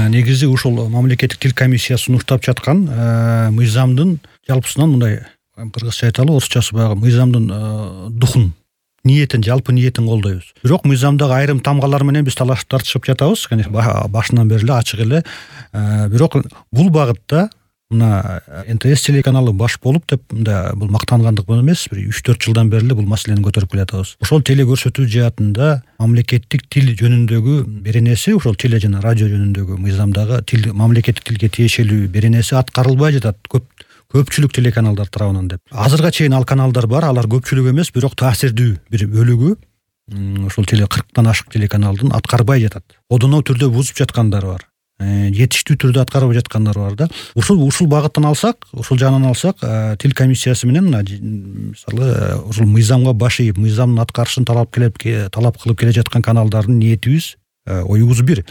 негизи ушул мамлекеттик тил комиссиясы сунуштап жаткан мыйзамдын жалпысынан мындай кыргызча айталы, орусчасы баягы мыйзамдын духун, ниетин, жалпы ниетин колдойбуз. Бирок мыйзамдагы айрым тамгалар менен биз талашып тартышып жатабыз, башынан бери эле ачык эле. Бирок бул багытта мына НТС телеканалы баш болуп деп бул мактангандык эмес, бир 3-4 жылдан бери эле бул маселени көтөрүп келатабыз. Ошол теле көрсөтүү жаатында мамлекеттик тил жөнүндөгү беренеси, ошол теле жана радио жөнүндөгү мыйзамдагы тил, мамлекеттик тилге тиешелүү беренеси аткарылбай жатат көпчүлүк телеканалдар тарабынан деп. Азырга чейин ал каналдар бар, алар көпчүлүк эмес, бирок таасирдүү бир бөлүгү ошол 40тан ашык телеканалдын аткарбай жатат. Одоно түрдө бузуп жаткандар бар. Жетиштүү түрдө аткарып жаткандар бар да. Ушул багыттан алсак, ушул жагынан алсак, тил комиссиясы менен мисалы ушул мыйзамга баш ийип, мыйзамдын аткарышын талап кылып келе жаткан каналдардын ниетибиз, оюбуз бир.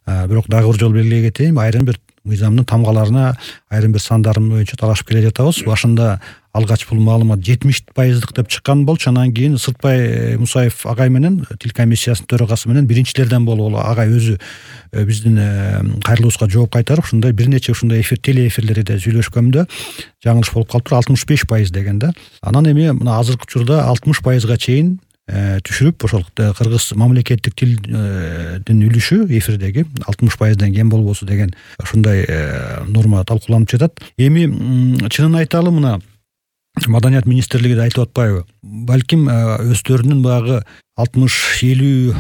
Бирок дагы бир жолу белгилей кетейин, айрым бир мыйзамдын тамгаларына, айрым бир сандарын боюнча талашып келе жатабыз. Башында алгач бул маалымат 70% деп чыккан болчу, анан кийин Сыртбай Мусаев агай менен тил комиссиясынын төрагасы менен биринчилерден болуп, агай өзү биздин кайрылуубузга жооп кайтарып, ушундай бир нече ушундай теле эфирлерде сүйлөшкөмдө жаңылыш болуп калыптыр, 65% деген да. Анан эми мына азыркы учурда 60%га чейин түшүрүп, ошол кыргыз мамлекеттик тилдин үлүшү эфирдеги 60%дан кем болбосу деген ушундай норма талкууланып жатат. Эми чынын айталы, мына Маданият министрлиги да айтып атпайбы? Балким өздөрүнүн баягы 60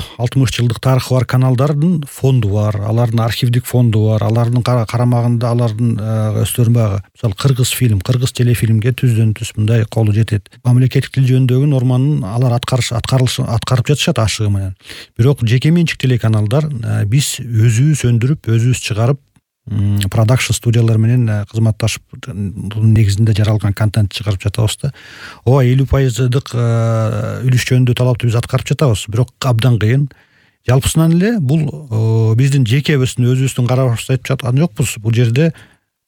жылдык тарыхы бар каналдардын фонду бар, алардын архивдик фонду бар, алардын карамагында алардын өздөрүнүн баягы мисалы кыргыз фильм, кыргыз телефильмге түздөн түз мындай колу жетет. Мамлекеттик тил жөнүндөгү норманын алар аткарып жатышат ашыгы менен. Бирок жеке менчик телеканалдар биз өзүбүз өндүрүп, өзүбүз чыгарып, продакшн студиялар менен кызматташып, бунун негизинде жаралган контент чыгарып жатабыз да. 50%дык үлүш жөнүндө талапты биз аткарып жатабыз, бирок абдан кыйын. Жалпысынан эле бул биздин жеке өзүбүздүн карашыбызды айтып жаткан жокпуз. Бул жерде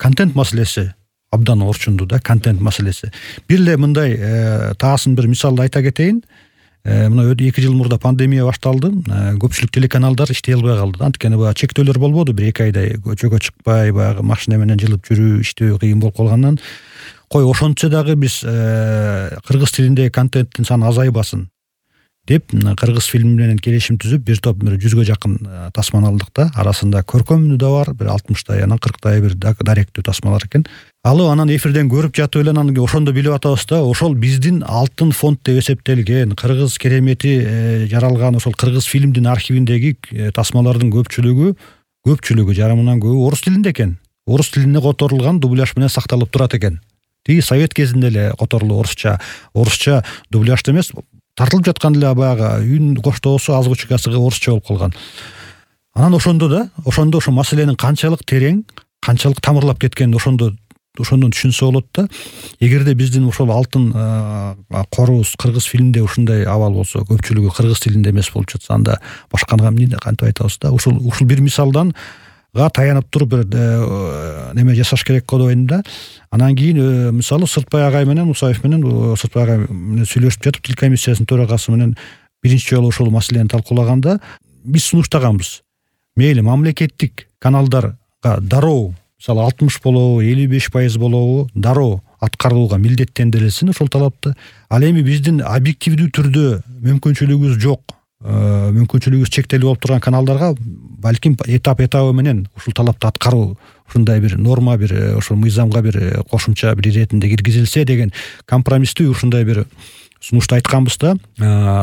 контент маселеси абдан орчундуу да, контент маселеси. Бир эле мындай таасын бир мисалды айта кетейин. Мына 2 жыл мурда пандемия башталды, көпчүлүк телеканалдар иштей албай калды. Анткени баягы чектөөлөр болбоду, 1-2 айдай көчөгө чыкпай, баягы машина менен жылып жүрүү, иштөө кыйын болуп калгандан, кой ошончо дагы биз кыргыз тилиндеги контенттин саны азайбасын деп кыргыз фильм менен келишим түзүп, бир топ 100га жакын тасманы алдык да. Арасында көркөмү да бар, бир 60тай, анан 40тай бир даректүү тасмалар экен. Алып анан эфирден көрүп жатып эле анан ошондо билип атабыз да, ошол биздин алтын фонд деп эсептелген, кыргыз керемети жаралган ошол кыргыз фильмдин архивиндеги тасмалардын көпчүлүгү жарымынан көбү орус тилинде экен. Орус тилине которулган дубляж менен сакталып турат экен. Тиги совет кезинде эле которулуу орусча дубляжда эмес, тартылып жаткан эле баягы үн коштоосу азбучкасы орусча болуп калган. Анан ошондо ошо маселенин канчалык терең, канчалык тамырлап кеткенин ошондон түшүнсө болот да. Эгерде биздин ошол алтын корубуз кыргыз фильмде ушундай абал болсо, көпчүлүгү кыргыз тилинде эмес болуп жатса, анда башкага эмне кантип айтабыз да. Ушул бир мисалдан таянып туруп бир неме жасаш керек го деп ойлойм да. Анан кийин мисалы Сыртбай агай менен Мусаев менен Сыртбай агай менен сүйлөшүп жатып, тил комиссиясынын төрагасы менен биринчи жолу ушул маселени талкуулаганда биз сунуштаганбыз. Мейли мамлекеттик каналдарга дароо, мисалы 60 болобу, 55% болобу, дароо аткарууга милдеттендирилсин ушул талапты. Ал эми биздин объективдүү түрдө мүмкүнчүлүгүбүз жок, мүмкүнчүлүгүбүз чектелип болуп турган каналдарга балким этап менен ушул талапты аткаруу, ушундай бир норма, бир ошол мыйзамга бир кошумча бир иретинде киргизилсе деген компромисстүү ушундай бир сунушту айтканбыз да.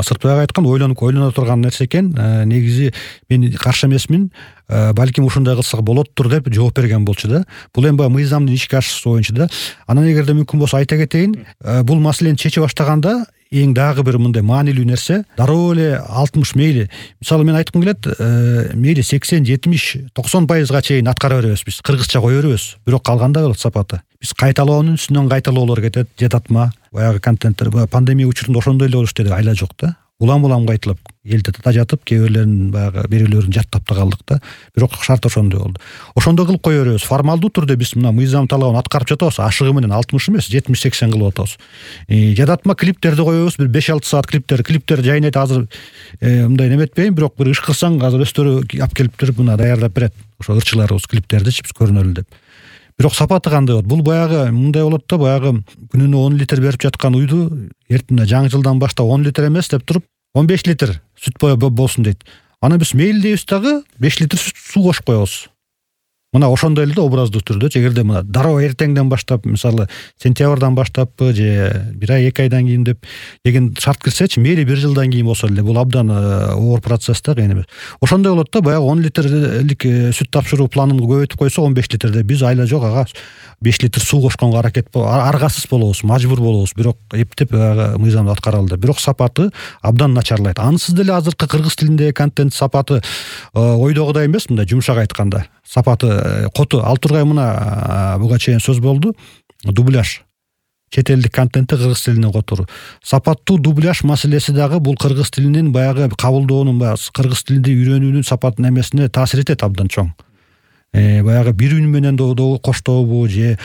Сыртбай айткан ойлоно турган нерсе экен. Негизи мен каршы эмесмин, балким ушундай кылсак болоттур деп жооп берген болчу да. Бул эми мыйзамдын ишке ашышы боюнча да. Анан эгерде мүмкүн болсо айта кетейин, бул маселени чече баштаганда эң дагы бир мындай маанилүү нерсе, дароо эле 60 мейли. Мисалы мен айткым келет, мейли 80, 70, 90%га чейин аткара беребиз биз, кыргызча кое беребиз. Бирок калганда болот сапаты. Биз кайталоонун үстүнөн кайталоолор кетет, жататма. Баягы контенттер пандемия учурунда ошондой эле болуш деди, айла жок да. улам кайталап элди жатып, кээ бирөөлөрүн жаттап да калдык да. Бирок шарт ошондой болду. Ошондой кылып кое беребиз. Формалдуу түрдө биз мына мыйзам талабын аткарып жатабыз. Ашыгы менен 60 эмес, 70-80 кылып атабыз. Жадатма клиптерди коебуз, бир 5-6 саат клиптер жайнайт. Азыр мындай неметпейин, бирок бир ышкырсаң азыр өздөрү алып келиптир, мына даярдап берет. Ошо ырчыларыбыз клиптердичи биз көрүнөлү деп. Бирок сапаты кандай болот? Бул баягы мындай болот да, баягы күнүнө 10 литр берип жаткан уйду эртең жаңы жылдан баштап 10 литр эмес деп туруп 15 литр сүт болсун дейт. Аны биз мейли дейбиз дагы 5 литр суу кошуп коебуз. Мына ошондой эле образдуу түрдө, эгерде мына дароо эртеңден баштап, мисалы сентябрдан баштаппы же 1 ай 2 айдан кийин деп деген шарт кирсечи, мейли 1 жылдан кийин болсо эле, бул абдан оор процесс да, кыйын эмес. Ошондой болот да, баягы 10 литрлик сүт тапшыруу планын көбөйтүп койсо 15 литр деп, биз айла жок ага 5 литр суу кошконго аракет аргасыз болобуз, мажбур болобуз, бирок эптеп мыйзамды аткаралы деп. Бирок сапаты абдан начарлайт. Анысыз деле азыркы кыргыз тилиндеги контент сапаты ойдогудай эмес, мындай жумшак айтканда. Сапаты коту. Ал тургай мына буга чейин сөз болду. Дубляж. Чет элдик контентти кыргыз тилине которуу. Сапаттуу дубляж маселеси дагы бул кыргыз тилинин баягы кабылдоонун, кыргыз тилинде үйрөнүүнүн сапатын эмесине таасир этет абдан чоң. Баягы бир үн менен коштобу же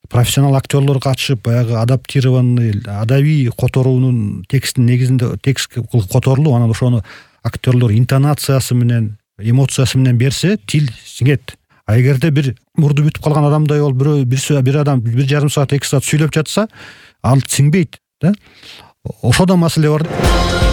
профессионал актерлор катышып баягы адаптированный адабий которуунун текстин негизинде текст которулуп, анан ошону актерлор интонациясы менен, эмоциясы менен берсе, тил сиңет. А эгерде бир мурду бүтүп калган адамдай болуп бир адам 1,5 саат 2 саат сүйлөп жатса, ал сиңбейт да. Ошодо маселе бар.